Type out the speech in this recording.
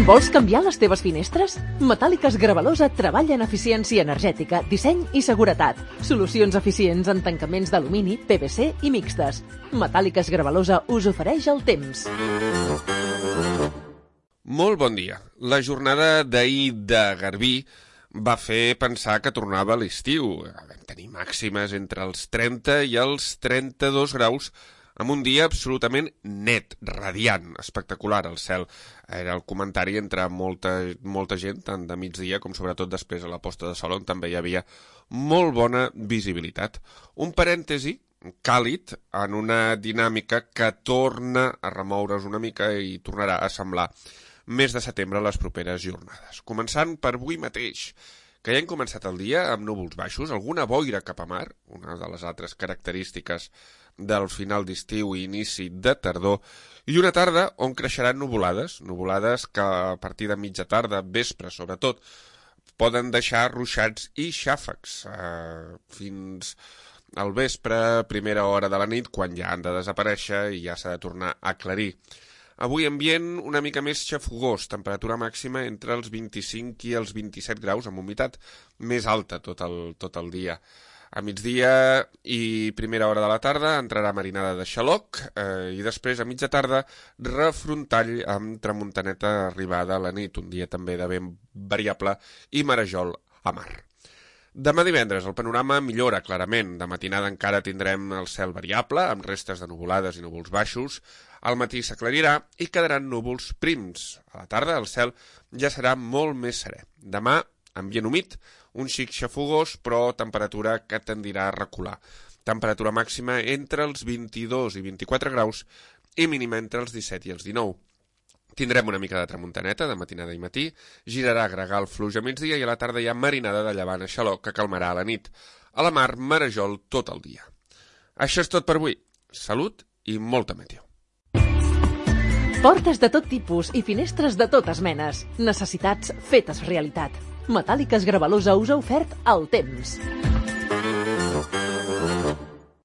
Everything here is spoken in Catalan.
Vols canviar les teves finestres? Metàl·liques Gravalosa treballa en eficiència energètica, disseny i seguretat. Solucions eficients en tancaments d'alumini, PVC i mixtes. Metàl·liques Gravalosa us ofereix el temps. Molt bon dia. La jornada d'ahir de Garbí va fer pensar que tornava l'estiu. Vam tenir màximes entre els 30 i els 32 graus amb un dia absolutament net, radiant, espectacular al cel. Era el comentari entre molta gent, tant de migdia com sobretot després a la posta de sol, on també hi havia molt bona visibilitat. Un parèntesi càlid en una dinàmica que torna a remoure's una mica i tornarà a semblar mes de setembre a les properes jornades. Començant per avui mateix, que ja hem començat el dia amb núvols baixos, alguna boira cap a mar, una de les altres característiques del final d'estiu i inici de tardor, i una tarda on creixeran nuvolades que a partir de mitja tarda, vespre sobretot, poden deixar ruixats i xàfecs fins al vespre, primera hora de la nit, quan ja han de desaparèixer i ja s'ha de tornar a aclarir. Avui ambient una mica més xafogós, temperatura màxima entre els 25 i els 27 graus, amb humitat més alta tot el dia. A migdia i primera hora de la tarda entrarà marinada de xaloc i després a mitja tarda refrontall amb tramuntaneta arribada a la nit, un dia també de vent variable i marejol a mar. Demà divendres el panorama millora clarament. De matinada encara tindrem el cel variable, amb restes de nuvolades i núvols baixos. Al matí s'aclarirà i quedaran núvols prims. A la tarda el cel ja serà molt més serè. Demà, ambient humit, un xic xafogós, però temperatura que tendirà a recular. Temperatura màxima entre els 22 i 24 graus i mínima entre els 17 i els 19. Tindrem una mica de tramuntaneta de matinada i matí, girarà a gregal fluix a migdia i a la tarda hi ha marinada de llevant a xaloc que calmarà a la nit. A la mar, marejol tot el dia. Això és tot per avui. Salut i molta meteo. Portes de tot tipus i finestres de totes menes. Necessitats fetes realitat. Metàl·liques Gravalosa us ha ofert el temps.